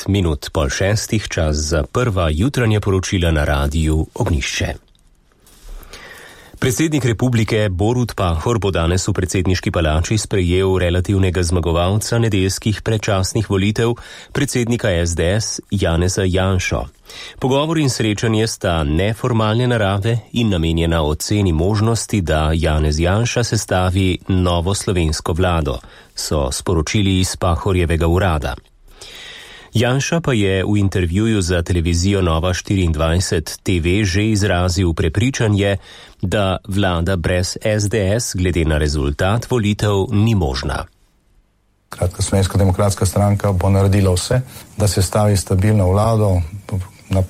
Minut pol šestih, čas za prva jutranja poročila na radiju Ognjišče. Predsednik republike Borut Pahor bo danes v predsedniški palači sprejel relativnega zmagovalca nedeljskih predčasnih volitev, predsednika SDS Janeza Janšo. Pogovor in srečanje sta neformalne narave in namenjena oceni možnosti, da Janez Janša sestavi novo slovensko vlado, so sporočili iz Pahorjevega urada. Janša pa je v intervjuju za televizijo Nova 24 TV že izrazil prepričanje, da vlada brez SDS glede na rezultat volitev ni možna. Kratka, Slovenska demokratska stranka bo naredila vse, da se stavi stabilno vlado. Na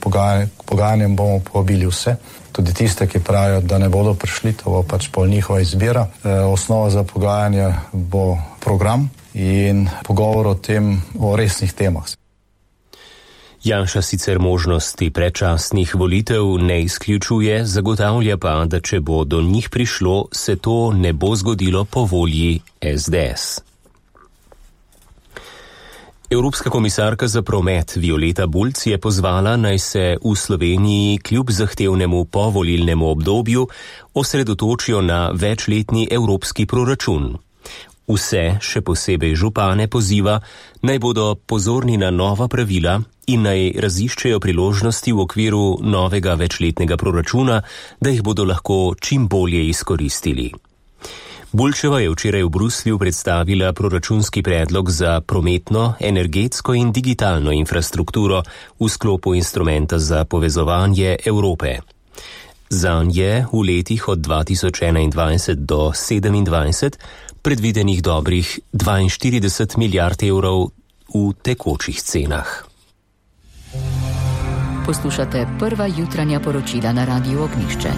pogajanjem bomo povabili vse, tudi tiste, ki pravijo, da ne bodo prišli, to bo pač pol njihova izbira. Osnova za pogajanje bo program in pogovor o resnih temah. Janša sicer možnosti predčasnih volitev ne izključuje, zagotavlja pa, da če bo do njih prišlo, se to ne bo zgodilo po volji SDS. Evropska komisarka za promet Violeta Bulc je pozvala, naj se v Sloveniji kljub zahtevnemu povolilnemu obdobju osredotočijo na večletni evropski proračun. Vse, še posebej župane, poziva, naj bodo pozorni na nova pravila in naj raziščejo priložnosti v okviru novega večletnega proračuna, da jih bodo lahko čim bolje izkoristili. Bulčeva je včeraj v Bruslju predstavila proračunski predlog za prometno, energetsko in digitalno infrastrukturo v sklopu instrumenta za povezovanje Evrope. Zanj je v letih od 2021 do 2027 predvidenih dobrih 42 milijard evrov v tekočih cenah. Poslušate prva jutranja poročila na radiju Ognjišče.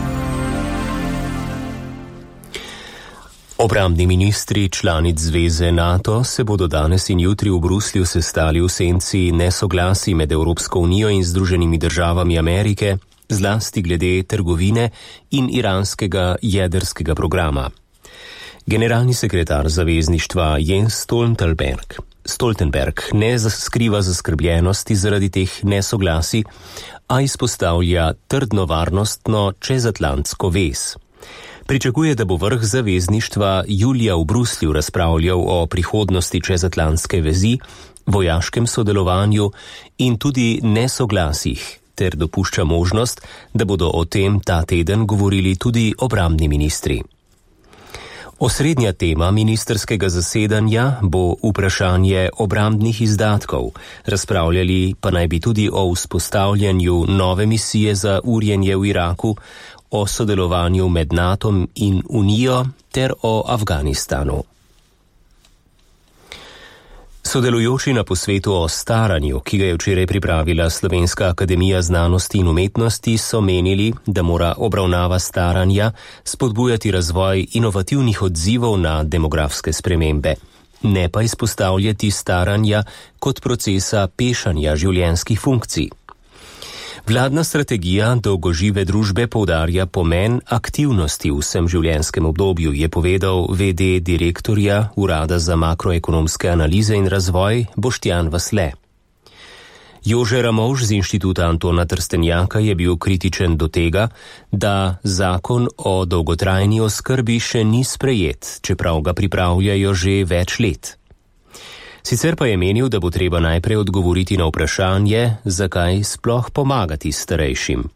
Obrambni ministri članic zveze NATO se bodo danes in jutri v Bruslju sestali v senci nesoglasij med Evropsko unijo in Združenimi državami Amerike, zlasti glede trgovine in iranskega jedrskega programa. Generalni sekretar zavezništva Jens Stoltenberg ne skriva zaskrbljenosti zaradi teh nesoglasij, a izpostavlja trdno varnostno čezatlantsko vez. Pričakuje, da bo vrh zavezništva julija v Bruslju razpravljal o prihodnosti čezatlantske vezi, vojaškem sodelovanju in tudi nesoglasjih, ter dopušča možnost, da bodo o tem ta teden govorili tudi obrambni ministri. Osrednja tema ministerskega zasedanja bo vprašanje obrambnih izdatkov, razpravljali pa naj bi tudi o vzpostavljanju nove misije za urjenje v Iraku, o sodelovanju med NATO in Unijo ter o Afganistanu. Sodelujoči na posvetu o staranju, ki ga je včeraj pripravila Slovenska akademija znanosti in umetnosti, so menili, da mora obravnava staranja spodbujati razvoj inovativnih odzivov na demografske spremembe, ne pa izpostavljati staranja kot procesa pešanja življenjskih funkcij. Vladna strategija dolgožive družbe poudarja pomen aktivnosti v vsem življenjskem obdobju, je povedal VD direktorja Urada za makroekonomske analize in razvoj Boštjan Vasle. Jože Ramovš z Inštituta Antona Trstenjaka je bil kritičen do tega, da zakon o dolgotrajni oskrbi še ni sprejet, čeprav ga pripravljajo že več let. Sicer pa je menil, da bo treba najprej odgovoriti na vprašanje, zakaj sploh pomagati starejšim.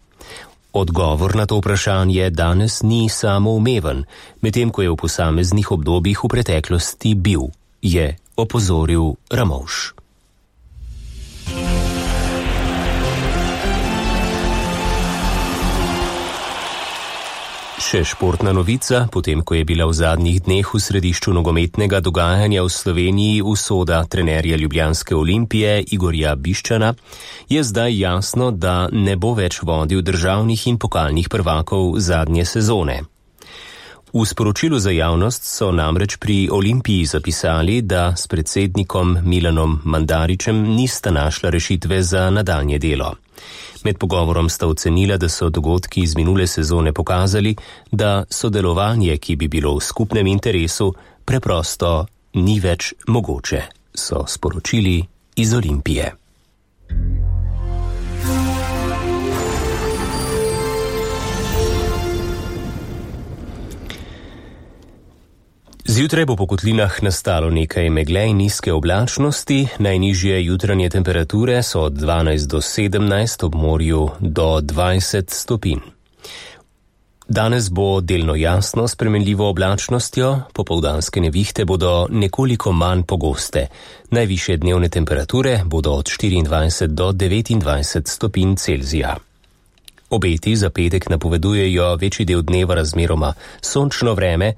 Odgovor na to vprašanje danes ni samoumeven, medtem ko je v posameznih obdobjih v preteklosti bil, je opozoril Ramovš. Še športna novica, potem ko je bila v zadnjih dneh v središču nogometnega dogajanja v Sloveniji usoda trenerja ljubljanske Olimpije Igorja Biščana, je zdaj jasno, da ne bo več vodil državnih in pokalnih prvakov zadnje sezone. V sporočilu za javnost so namreč pri Olimpiji zapisali, da s predsednikom Milanom Mandaričem nista našla rešitve za nadaljnje delo. Med pogovorom sta ocenila, da so dogodki iz minule sezone pokazali, da sodelovanje, ki bi bilo v skupnem interesu, preprosto ni več mogoče, so sporočili iz Olimpije. Zjutraj bo po kotlinah nastalo nekaj megle in nizke oblačnosti, najnižje jutranje temperature so od 12 do 17, ob morju do 20 stopinj. Danes bo delno jasno s spremenljivo oblačnostjo, popoldanske nevihte bodo nekoliko manj pogoste. Najvišje dnevne temperature bodo od 24 do 29 stopinj Celzija. Obeti za petek napovedujejo večji del dneva razmeroma sončno vreme,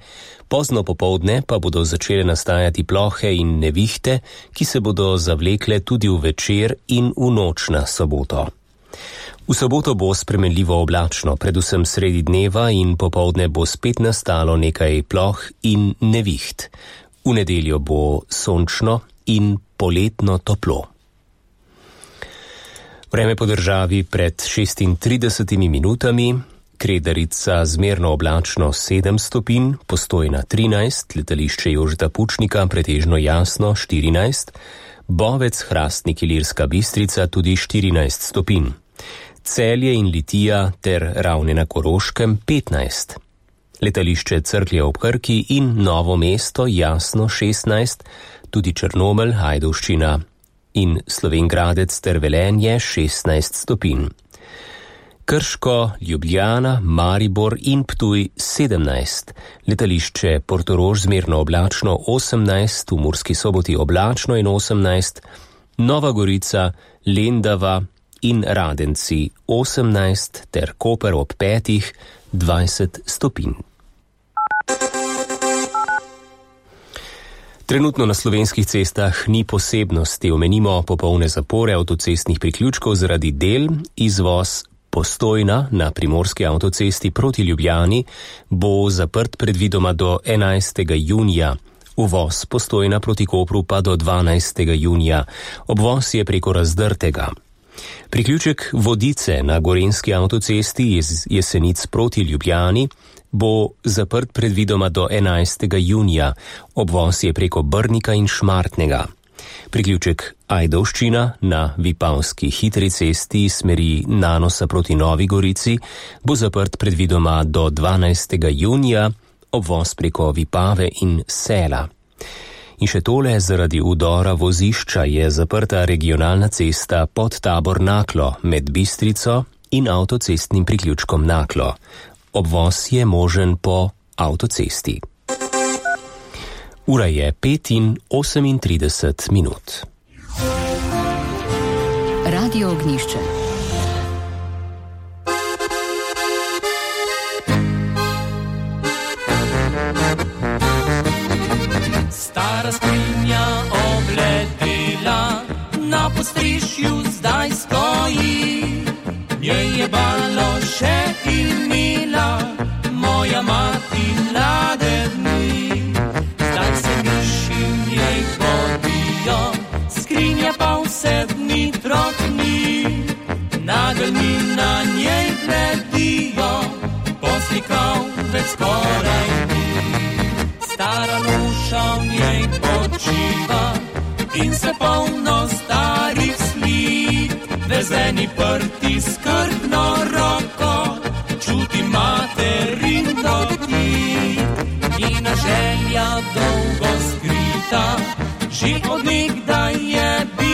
pozno popoldne pa bodo začele nastajati plohe in nevihte, ki se bodo zavlekle tudi v večer in v noč na soboto. V soboto bo spremenljivo oblačno, predvsem sredi dneva in popoldne bo spet nastalo nekaj ploh in neviht. V nedeljo bo sončno in poletno toplo. Vreme po državi pred 36 minutami, Kredarica zmerno oblačno 7 stopinj, Postojna 13, letališče Jožeta Pučnika pretežno jasno 14, Bovec, Hrastnik, Ilirska Bistrica tudi 14 stopinj. Celje in Litija ter Ravne na Koroškem 15. Letališče Cerklje ob Krki in Novo mesto jasno 16, tudi Črnomelj, Ajdovščina in Slovenj Gradec ter Velenje 16 stopinj. Krško, Ljubljana, Maribor in Ptuj 17. Letališče Portorož zmerno oblačno 18, v Murski Soboti oblačno in 18, Nova Gorica, Lendava in Radenci 18 ter Koper ob 5 20 stopinj. Trenutno na slovenskih cestah ni posebnosti, omenimo popolne zapore avtocestnih priključkov zaradi del, izvoz Postojna na primorski avtocesti proti Ljubljani bo zaprt predvidoma do 11. junija, uvoz Postojna proti Kopru pa do 12. junija, obvoz je preko Razdrtega. Priključek Vodice na gorenjski avtocesti iz Jesenic proti Ljubljani bo zaprt predvidoma do 11. junija, obvoz je preko Brnika in Šmartnega. Priključek Ajdovščina na Vipavski hitri cesti smeri Nanosa proti Novi Gorici bo zaprt predvidoma do 12. junija, obvoz preko Vipave in Sela. In še tole, zaradi udora vozišča je zaprta regionalna cesta pod Tabor Naklo med Bistrico in avtocestnim priključkom Naklo. Obvoz je možen po avtocesti. Ura je 5:38 minut. Radio Ognjišče. Stara skrinja obledela, na postrišju zdaj stoji. Njej je balo še imela, moja mati mlade dni. Zdaj se miši v njej podijo, skrinja pa vse dni trotni. Nageljni na njej bledijo, poslikav več skoraj ni. Stara luša v njej počiva in se polno starih slik. Vezeni prti skrbno roko, čuti materin dotik. Njena želja dolgo skrita, že od nekdaj je bila.